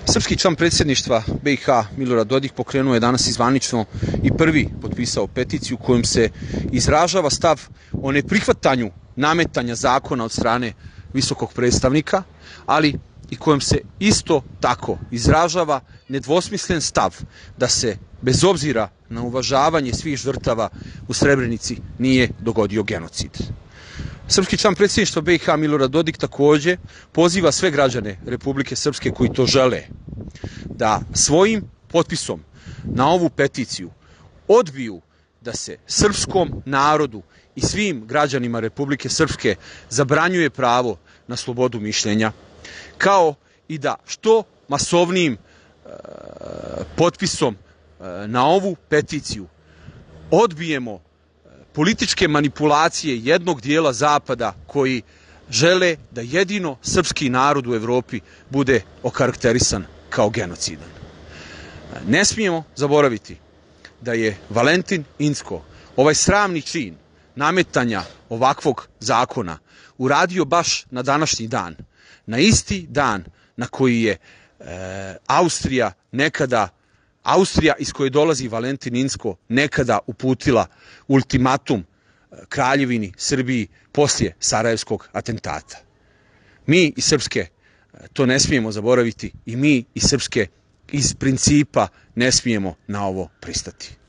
Srpski član predsjedništva BiH Milorad Dodik pokrenuo je danas i zvanično i prvi potpisao peticiju kojom se izražava stav o neprihvatanju nametanja zakona od strane visokog predstavnika, ali i kojom se isto tako izražava nedvosmislen stav da se bez obzira na uvažavanje svih žrtava u Srebrenici nije dogodio genocid. Srpski član predsjedništva BiH Milorad Dodik također poziva sve građane Republike Srpske koji to žele da svojim potpisom na ovu peticiju odbiju da se srpskom narodu i svim građanima Republike Srpske zabranjuje pravo na slobodu mišljenja, kao i da što masovnijim potpisom na ovu peticiju odbijemo političke manipulacije jednog dijela Zapada koji žele da jedino srpski narod u Evropi bude okarakterisan kao genocidan. Ne smijemo zaboraviti da je Valentin Inzko ovaj sramni čin nametanja ovakvog zakona uradio baš na današnji dan, na isti dan na koji je Austrija iz koje dolazi Valentin Inzko nekada uputila ultimatum Kraljevini Srbiji poslije Sarajevskog atentata. Mi iz Srpske to ne smijemo zaboraviti i mi iz Srpske iz principa ne smijemo na ovo pristati.